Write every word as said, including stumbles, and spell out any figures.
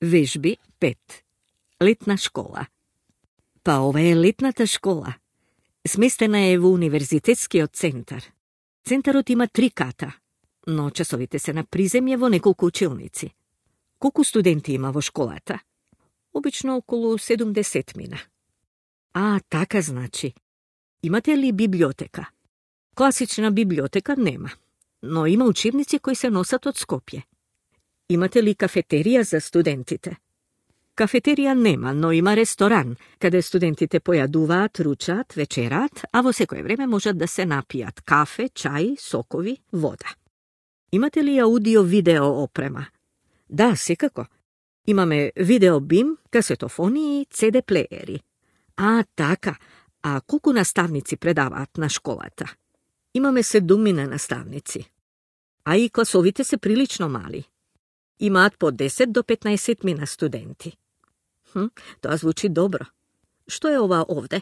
Vežbi pet. Letna škola. Pa ova je letната škola. Smestena je v univerzitetskio centar. Centarot ima tri kata, no časovite se na prizemlje vo nekoliko učilnici. Koliko studenti ima vo školata? Obično okolo sedamdeset mina. A, taka znači. Imate li biblioteka? Klasična biblioteka nema, no ima učebnici koji se nosat od Skopje. Imate li kafeterija za studentite? Kafeterija nema, no ima restoran, kada studentite pojaduvat, ručat, večerat, a vo sekoje vreme možat da se napijat kafe, čaj, sokovi, voda. Imate li audio video oprema? Da, sikako. Imame video bim, kasetofoni i ce de playeri. A, taka. A koliko nastavnici predavat na školata? Imame sedumine nastavnici. A i klasovite se prilično mali. Imat po deset do petnaest mina studenti. Hm, to zvuči dobro. Što je ova ovde?